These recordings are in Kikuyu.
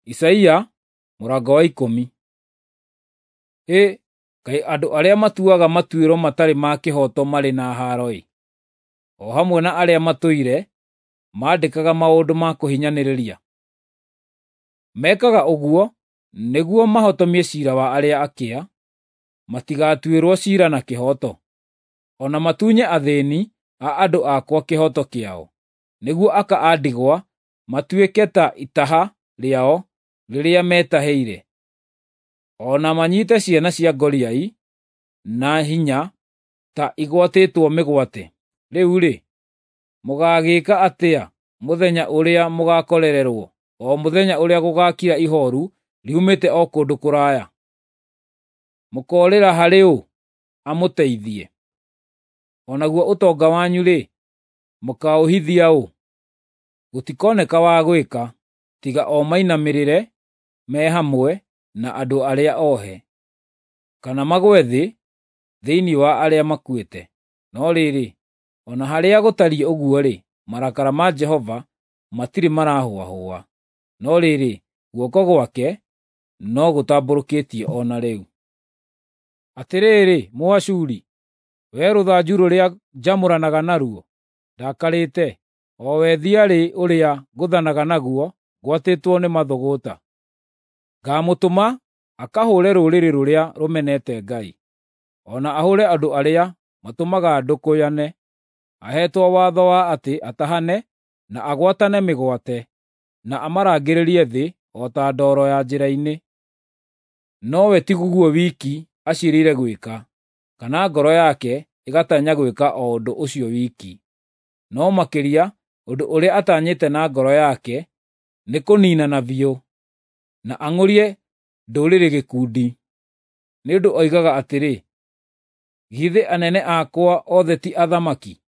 Isaia mũrango wa 10. Hĩ, kaĩ andũ arĩa matuaga matuĩro matarĩ ma kĩhooto marĩ na haaro-ĩ! O hamwe na arĩa matũire maandĩkaga maũndũ ma kũhinyanĩrĩria. Mekaga ũguo nĩguo mahotomie ciira wa arĩa akĩa, matigatuĩrwo ciira na kĩhooto, o na matunye athĩĩni a andũ akwa kĩhooto kĩao, nĩguo aka a ndigwa matuĩke ta itaha rĩao rĩrĩa metahĩire, o na manyiite ciana cia ngoriai na hinya ta igwatĩtwo mĩgwate. Rĩu-rĩ, mũgaagĩĩka atĩa mũthenya ũrĩa mũgaakorererwo, o mũthenya ũrĩa gũgaakira ihooru riumĩte o kũndũ kũraya? Mũkoorĩra harĩ ũ amũteithie? O naguo ũtonga wanyu-rĩ, mũkaũhithia ũ? Gũtikoneka wa gwĩka, tiga o mainamĩrĩre me hamwe na andũ arĩa ohe, kana magwe thĩ thĩinĩ wa arĩa makuĩte. No rĩrĩ, o na harĩa gũtariĩ ũguo-rĩ, marakara ma Jehova matirĩ marahũahũa, no rĩrĩ, guoko gwake no gũtambũrũkĩtio o na rĩu. Atĩrĩrĩ, Mũashuri, wee rũthanju rũrĩa njamũranaga naruo ndakarĩte, o we thiarĩ ũrĩa ngũthanaga naguo ngwatĩtwo nĩ mathũgũta, ngaamũtũma akahũũre rũrĩrĩ rũrĩa rũmenete Ngai, o na ahũũre andũ arĩa matũmaga ndũkũyane, aheetwo watho wa atĩ atahane na agwatane mĩgwate, na amarangĩrĩrie thĩ o ta ndoro ya njĩra-inĩ. Nowe ti guo wiki aciirĩire gwĩka, kana ngoro yake ĩgatanya gwĩka o ũndũ ũcio wiki, no makĩria ũndũ ũrĩa atanyĩte na ngoro yake nĩ kũniinana biũ, na ang'ũrie ndũrĩrĩ gĩkundi. Nĩ ũndũ oigaga atĩrĩ, ‘Githĩ anene akwa othe ti athamaki?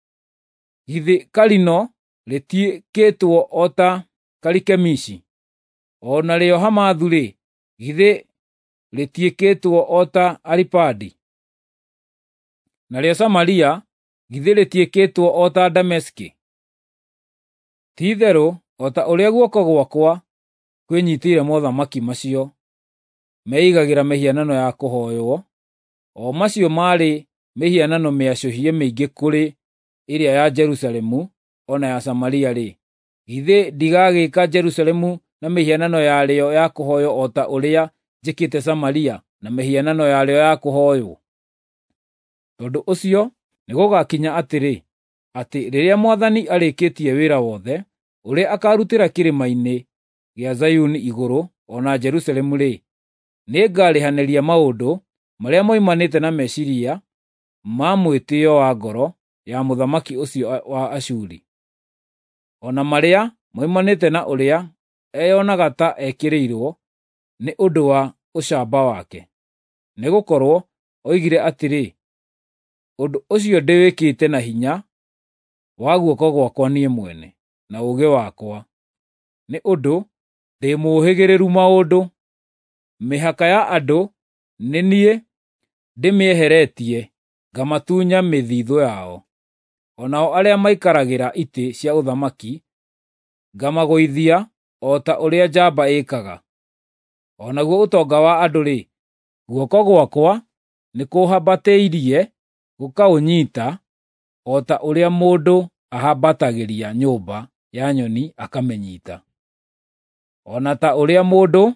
Githĩ Kalino rĩtiĩkĩtwo o ta Karikemishi? O narĩo Hamathu-rĩ, githĩ rĩtiĩkĩtwo o ta Aripadi? Narĩo Samaria githĩ rĩtiĩkĩtwo o ta Dameski? Ti-itherũ o ta ũrĩa guoko gwakwa kwĩnyiitĩire mothamaki macio meigagĩra mĩhianano ya kũhooywo, o macio maarĩ mĩhianano mĩacũhie mĩingĩ kũrĩ ĩrĩa ya Jerusalemu o na ya Samaria-rĩ, githĩ ndigagĩĩka Jerusalemu na mĩhianano yarĩo ya kũhooywo o ta ũrĩa njĩkĩte Samaria na mĩhianano yarĩo ya kũhooywo?’ Tondũ ũcio nĩgũgakinya atĩrĩ, atĩ rĩrĩa Mwathani arĩkĩtie wĩra wothe ũrĩa akaarutĩra kĩrĩma-inĩ gĩa Zayuni igũrũ o na Jerusalemu-rĩ, nĩngarĩhanĩria maũndũ marĩa moimanĩte na meciiria ma mwĩtĩĩo wa ngoro ya mũthamaki ũcio wa Ashuri, o na marĩa moimanĩte na ũrĩa eyonaga ta ekĩrĩirwo nĩ ũndũ wa ũcamba wake. Nĩgũkorwo oigire atĩrĩ, ‘Ũndũ ũcio ndĩwĩkĩte na hinya wa guoko gwakwa niĩ mwene, na ũũgĩ wakwa, nĩ ũndũ ndĩ mũũhĩgĩrĩru maũndũ. Mĩhaka ya andũ nĩ niĩ ndĩmĩeheretie ngamatunya mĩthithũ yao, o nao arĩa maikaragĩra itĩ cia ũthamaki ngamagũithia o ta ũrĩa njamba ĩĩkaga. O naguo ũtonga wa andũ-rĩ, guoko gwakwa nĩkũhambatĩirie gũkaũnyiita o ta ũrĩa mũndũ ahambatagĩria nyũmba ya nyoni akamĩnyiita, o na ta ũrĩa mũndũ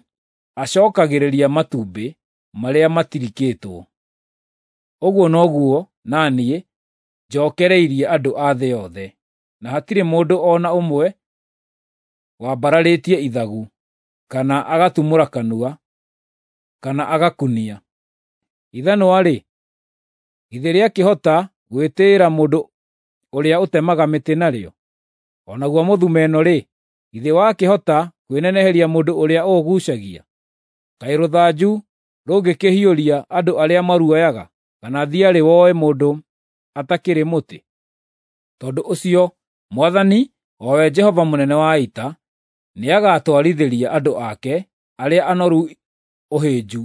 acookagĩrĩria matumbĩ marĩa matirikĩtwo. Ũguo noguo na niĩ njookereirie andũ a thĩ yothe, na hatirĩ mũndũ o na ũmwe wambararĩtie ithagu, kana agatumũra kanua, kana agakunia. Ithanwa-rĩ, githĩ rĩakĩhota gwĩtĩĩra mũndũ ũrĩa ũtemaga mĩtĩ narĩo? O naguo mũthumeno-rĩ, githĩ wakĩhota kwĩneneheria mũndũ ũrĩa ũũguucagia? Kaĩ rũthanju rũngĩkĩhiũria andũ arĩa maruoyaga, kana thiarĩ woe mũndũ atakĩrĩ mũtĩ? Tondũ ũcio Mwathani, o we Jehova mũnene wa ita, nĩagatwarithĩria andũ ake arĩa anoru ũhĩnju,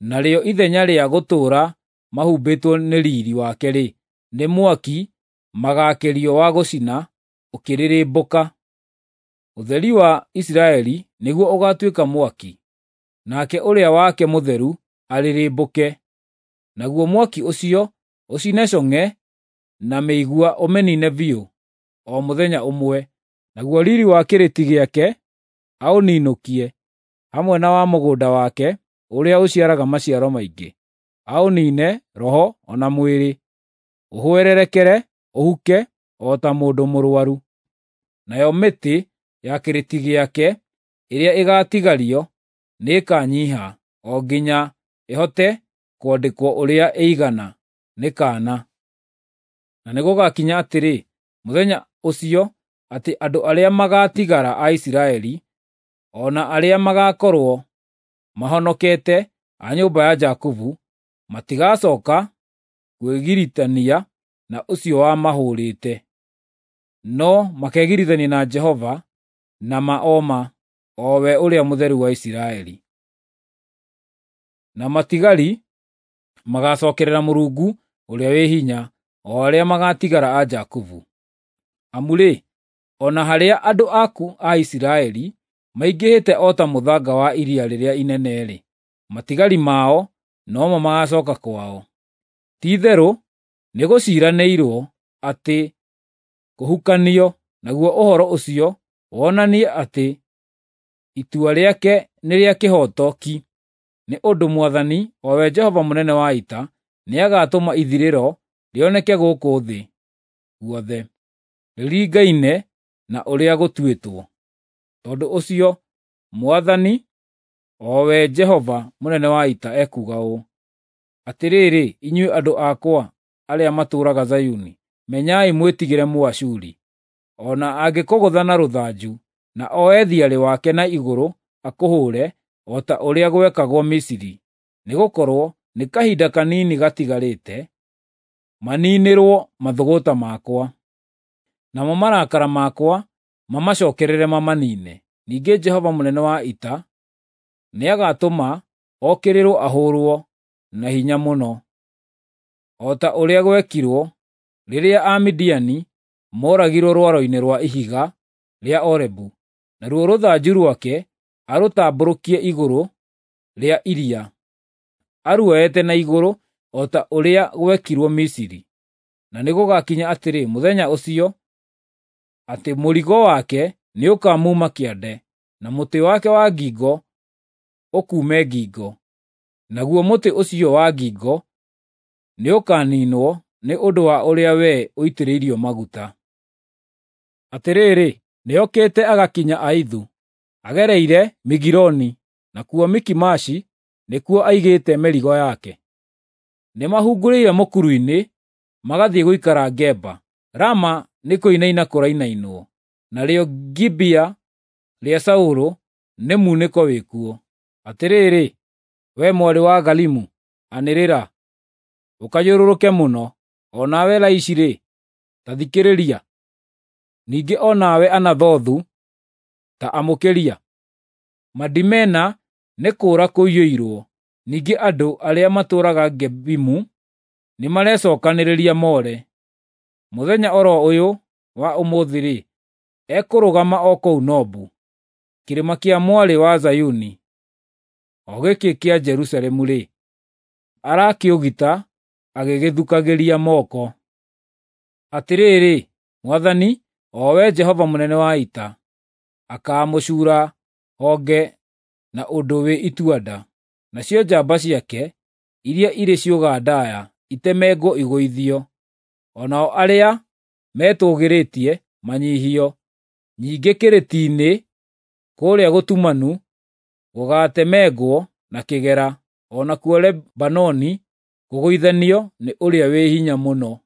narĩo ithenya rĩa gũtũũra mahumbĩtwo nĩ riiri wake-rĩ, nĩ mwaki magaakĩrio wa gũcina ũkĩrĩrĩmbũka. Ũtheri wa Isiraeli nĩguo ũgatuĩka mwaki, nake ũrĩa wake mũtheru arĩrĩmbũke, naguo mwaki ũcio ũcine cong'e na mĩigua ũmĩniine biũ o mũthenya ũmwe, naguo riri wa kĩrĩti gĩake aũninũkie, hamwe na wa mũgũnda wake ũrĩa ũciaraga maciaro maingĩ, aũniine roho o na mwĩrĩ, ũhwererekere ũhuke o ta mũndũ mũrũaru. Nayo mĩtĩ ya kĩrĩti gĩake ĩrĩa ĩgaatigario nĩĩkanyiiha o nginya ĩhote kwandĩkwo ũrĩa ĩigana nĩ kaana. Na nĩgũgakinya atĩrĩ, mũthenya ũcio atĩ andũ arĩa magaatigara a Isiraeli, o na arĩa magaakorwo mahonokete a nyũmba ya Jakubu, matigacooka kwĩgiritania na ũcio wamahũũrĩte, no makegiritania na Jehova na ma o ma, o we Ũrĩa Mũtheru wa Isiraeli. Na matigari magacookerera Mũrungu ũrĩa wĩ hinya, o arĩa magaatigara a Jakubu. Amu-rĩ, o na harĩa andũ aku a Isiraeli maingĩhĩte o ta mũthanga wa iria rĩrĩa inene-rĩ, matigari mao nomo magacooka kwao. Ti-itherũ nĩgũciiranĩirwo atĩ kũhukanio, naguo ũhoro ũcio wonanie atĩ itua rĩake nĩ rĩa kĩhooto ki, nĩ ũndũ Mwathani, o we Jehova mũnene wa ita, nĩagatũma ithirĩro rĩoneke gũkũ thĩ guothe, rĩringaine na ũrĩa gũtuĩtwo. Tondũ ũcio Mwathani, o we Jehova mũnene wa ita, ekuuga ũũ: Atĩrĩrĩ, inyuĩ andũ akwa arĩa matũũraga Zayuni, menyai mwĩtigĩre Mũashuri. O na angĩkũgũtha na rũthanju, na oe thiarĩ wake na igũrũ akũhũũre, o ta ũrĩa gwekagwo Misiri, nĩgũkorwo nĩ kahinda kanini gatigarĩte maniinĩrwo mathũgũta makwa, namo marakara makwa mamacookerere mamaniine. Ningĩ Jehova mũnene wa ita nĩagatũma okĩrĩrwo ahũũrwo na hinya mũno, o ta ũrĩa gwekirwo rĩrĩa Amidiani mooragirwo rwaro-inĩ rwa ihiga rĩa Orebu, naruo rũthanju rwake arũtambũrũkie igũrũ rĩa iria, aruoete na igũrũ o ta ũrĩa gwekirwo Misiri. Na nĩgũgakinya atĩrĩ mũthenya ũcio atĩ mũrigo wake nĩũkamuuma kĩande, na mũtĩ wake wa ngingo ũkuume ngingo, naguo mũtĩ ũcio wa ngingo nĩũkaniinwo nĩ ũndũ wa ũrĩa wee ũitĩrĩirio maguta. Atĩrĩrĩ, nĩokĩte agakinya Aithu, agereire Migironi, nakuo Mikimashi nĩkuo aigĩte mĩrigo yake. Nĩmahungurĩire mũkuru-inĩ, magathiĩ gũikara Geba. Rama nĩkũinaina kũrainainwo, narĩo Gibea rĩa Saũlũ nĩ munĩko wĩkuo. Atĩrĩrĩ, wee mwarĩ wa Galimu, anĩrĩra, ũkayũrũrũke mũno! O nawe Laishi-rĩ, ta thikĩrĩria! Ningĩ o nawe Anathothu, ta amũkĩria! Madimena nĩ kũũra kũiyũirwo, ningĩ andũ arĩa matũũraga Gebimu nĩmarecookanĩrĩria moore. Mũthenya o ro ũyũ wa ũmũthĩ-rĩ, ekũrũgama o kũu Nobu, kĩrĩma kĩa mwarĩ wa Zayuni, o gĩkĩ kĩa Jerusalemu-rĩ, arakĩũgita agĩgĩthukagĩria moko. Atĩrĩrĩ, Mwathani, o we Jehova mũnene wa ita, akaamũcuura honge na ũndũ wĩ itua-nda, nacio njamba ciake iria irĩ ciũga ndaaya itemengwo igũithio, o nao arĩa metũũgĩrĩtie manyiihio. Ningĩ kĩrĩti-inĩ kũrĩa gũtumanu gũgaatemengwo na kĩgera, o nakuo Lebanoni kũgũithanio nĩ Ũrĩa wĩ Hinya Mũno.